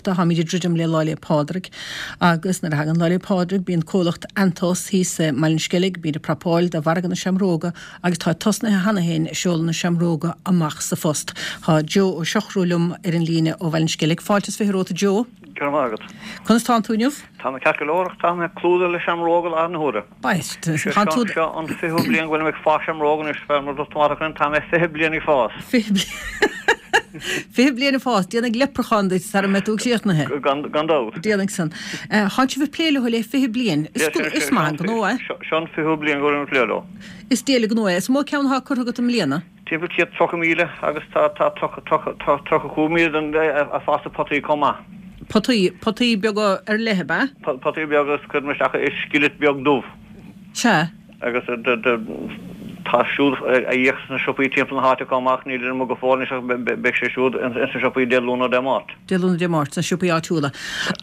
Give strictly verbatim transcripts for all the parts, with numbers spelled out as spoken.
éisteachta, táimid ag druidim le Lá 'le Pádraig agus nuair a thagann Lá 'le Pádraig bíonn comhlacht Antos thíos i mBaile an Sceilg, bíonn ag prapáil do mhargadh na seamróga agus tá tosnaithe cheana féin ag seoladh na seamróga amach sa phost. Tá Joe Ó Siochrú liom ar an líne ó Bhaile an Sceilg. Fáilte is fiche romhat a Joe. Go raibh maith agat. Conas tánn tú inniu? Tá mé ceart go leor ach tá mé clúdaithe le seamróga i láthair na huaire. B'ait. Seo seo an fichiú bliain go bhfuilim ag fás seamróga anois, mar a dúirt tú, tá mé fiche bliain ag fás. Fiche bliain. Fiche bliain ag fás. Déanfaidh leipreachán duit sara mbeidh tú críochnaithe. Gan gan dabht. Déanfaidh san. Tánn sibh ag plé leo le fiche bliain. Is is maith an gnó é. Seo an fichiú bliain go bhfuilim ag plé leo. Is diail an gnó é. Is mó ceann atá curtha agat i mbliana? Timpeall céad tríocha míle agus tá tá tríocha tríocha tá tríocha cúig míle den ag fás i potaí chomh maith. Potaí, potaí beaga ar leith, ab ea? Potaí beaga agus cuirim isteach i skillet beag dubh. Sea. Agus tá siúd á íoc sna siopaí timpeall na háite chomh maith, níl ar amuigh go fóill anois ach beidh sé siúd ins na siopaí Dé Luain nó Dé Máirt. Dé Luain nó Dé Máirt sna siopaí áitiúla.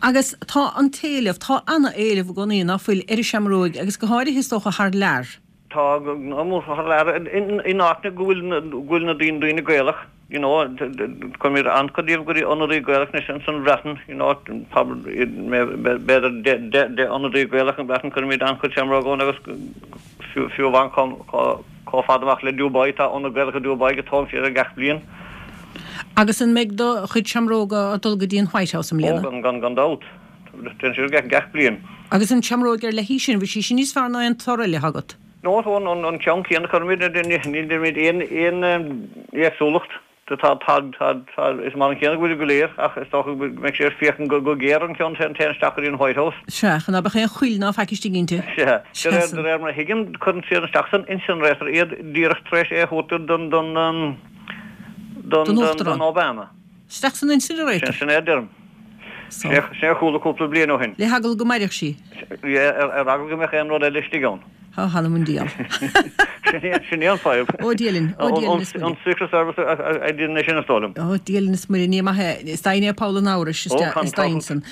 Agus tá an t-éileamh, tá ana-éileamh i gcónaí, ná fuil, ar an seamróig agus go háirithe is dócha thar lear. Tá thar lear in áiteanna go bhfuil go bhfuil na daoine daoine Gaelach, you know, cuirimid an-chuid díobh go dtí ionadaí Gaelach anois ins an Bhreatain, you know, b'fhéidir deich deich ionadaí Gaelach an Bhreatain, cuirimid an-chuid seamróg ann agus fiú fiú amháin chomh chomh fada amach le Dubai, tá ionad Gaelach i Dubai go dtógann siad air gach bliain. Agus an mbeidh do chuid seamróga ag dul go dtí an White House i mbliana? Ó, gan gan gan dabht. Téann siad gach gach bliain. Agus an tseamróg ar leith í sin, bhfuil sí sin níos fearr ná aon toradh eile agat? No, tá an an ceann céanna cuirimid, ní dhéanaimid aon aon éagsúlacht. Tá tá tá tá is mar an chéanna go bhfuil go léir ach is dócha go mbeidh sé ag féachaint go go géar an ceann téann téann isteach go dtí an White House. Sea, ach ná beadh aon chuil ná faic istigh inti. Sea. De réir de réir mar a thuigim, cuireann siad isteach san incinerator iad díreach tar éis é a thabhairt don don don Don don Uachtarán. don Obama. Isteach san incinerator. Sin é a deirim. So. Sin a chuala cúpla bliain ó shin. Le heagla go mairfeadh sí. Ar eagla go mbeadh aon rud eile istigh ann. Á, th'anam 'on diabhal. Sin é an fadhb. Ó, Dia linn. Ó, Dia linn is Muire. An Secret Service a dhéanann é sin is dóigh liom. Ó, Dia linn is Muire. Ní maith é. Is deimhin é poll an amhrais, is deimhin san.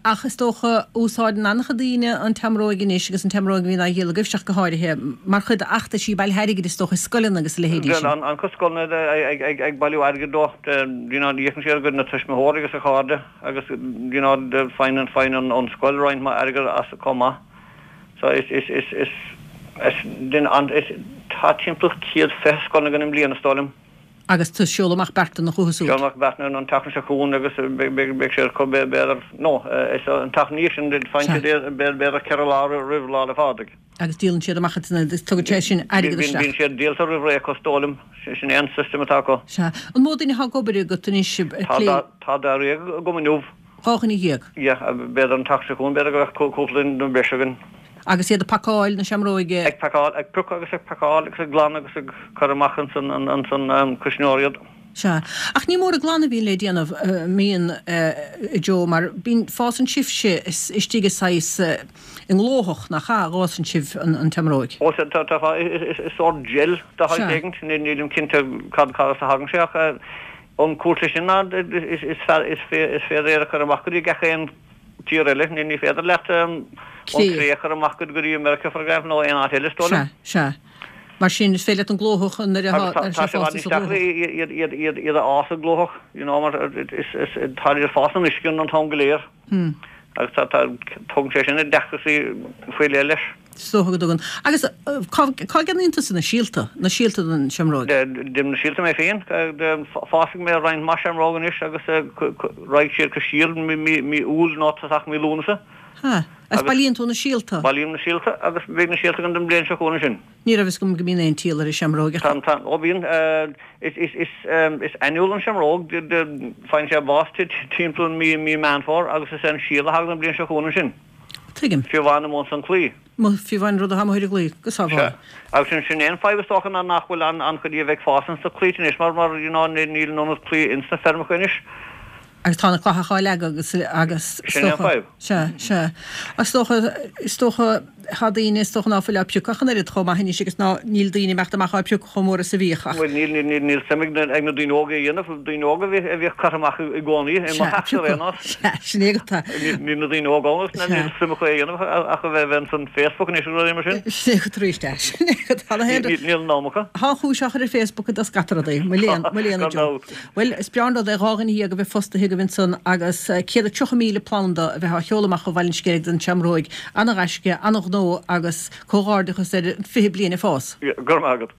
Ach is dócha, úsáideann an-chuid daoine an tseamróig anois agus an tseamróig a bhíonn á dhíol agaibhse ach go háirithe, mar chuid d'fheachtaisí bailithe airgid is dócha i scoileanna agus a leithéidí sin. An-chuid scoileanna ag bailiú airgid dó, you know, íocann siad a gcuid na tuismitheoirí agus a chairde agus you know, faigheann faigheann an scoil roinnt mhaith airgid as chomh maith. So is is is is is den an is tá timpeall céad fiche scoil againn i mbliana is dóigh liom. Agus tú ag seoladh amach beartanna chucu siúd. Seoladh amach beartanna an tseachtain seo chugainn agus beidh beidh siad acu b'fhéidir no is an tseachtain ina dhiaidh sin faigheann siad iad b'fhéidir ceithre lá roimh Lá 'le Pádraig. Agus díolann siad amach iad agus tugann sé sin airgead isteach. Bíonn siad díolta roimh ré acu is dóigh liom. Sin é an system atá acu. Sea. An mó duine atá ag obair agat anois ag plé? Tá dáréag agam inniu. Dhá dhuine dhéag? Yeah, b'fhéidir an tseachtain seo chugainn, b'fhéidir go mbeadh cúpla duine breise againn. Agus iad ag pacáil na seamróige? Ag pacáil, ag piocadh agus ag pacáil agus ag glanadh agus ag cur amach ansan ansan cuisneoir iad. Sea. Ach ní mór an glanadh a bhíonn le déanamh, mbíonn, a Joe, mar bíonn, fásann sibhse istigh i saghas, i nglóthach, nach ea, a dh'fhásann sibh an tseamróig? Ó sea, tá, tá, is sórt gel de shaghas éigint, nílim cinnte cad, cad as a thagann sé ach an cúis leis sin ná is féidir é a chur amach go dtí gach aon tír eile, ní féidir leat an cré a chur amach go dtí America, for example, nó aon áit eile, is dóigh liom. Sea, sea. Mar sin, is féidir leat an glóthach nuair atá sé fásta sa ghlóthach. Iad iad iad iad a fhás i nglóthach, you know, mar is is tá siad ag fás in uisce an t-am go léir. Agus tá tá tugann sé sin deacrachtaí faoi leith leis. Is dócha go dtugann. Agus cá cá gceannaíonn tusa na síolta, na síolta don seamróig? Déanaim na síolta mé féin. Fásfaidh mé roinnt mhaith seamróg anois agus raghaidh siad go síol mí mí Iúil nó tosach mí Lúnasa. Ha. Agus bailíonn tú na síolta? Bailím na síolta agus beidh na síolta agam don bhliain seo chugainn ansin. Ní raibh fhios agam go mbíonn aon tsíol ar an seamróig ach. Tá, tá, ó bíonn. Is, is, is, is annual an seamróg, faigheann sé bás timpeall mí, mí Meán Fómhair agus is é an síol a thagann an bhliain seo chugainn ansin. Tuigim. Fiú amháin amuigh ins an claí. Fiú amháin rud atá amuigh ar an gclaí, go sábhála. Sea. Agus sin, sin é an fadhb is dócha ná nach bhfuil an, an-chuid díobh ag fás ins na claíte anois mar, mar, you know, níl an ionad claí ins na feirmeacha anois. Agus tá na clathacha á leagadh agus, agus is Sin é an dócha, fadhb. sea, sea. Is dócha, is dócha, Tá daoine is dócha ná fuil á piocadh ach an oiread chomh maith anois agus ná níl daoine ag imeacht amach á piocadh chomh mór is a bhíodh ach. Bhuel níl, níl, níl suim ag na, ag na daoine óga é a dhéanamh, daoine óga a bhí, a bhíodh curtha amach i gcónaí i mo theachsa ar aon nós. Sea, sin é agat. Níl, níl na daoine óga ann agus níl suim acu é a dhéanamh ach a bheith, a bheith ansan Facebook anois agus rudaí mar sin. Sin é agat arís é, sin é agat. Tá na haon rud. Níl, níl an am acu. Tá an chúis á chur ar Facebook i scata rudaí, mo léan, mo léan a Gan Joe. dabht. Bhuel, is breá an rud é dhá dhuine dhéag a bheith fostaithe agaibh ansan agus céad is tríocha míle planda a bheith á sheoladh amach ó Bhaile an Sceilg don tSeamróig. Ana-ghaisce, ana-ghnó agus comhghairdeachas ar fiche bliain ag fás. Go raibh maith agat.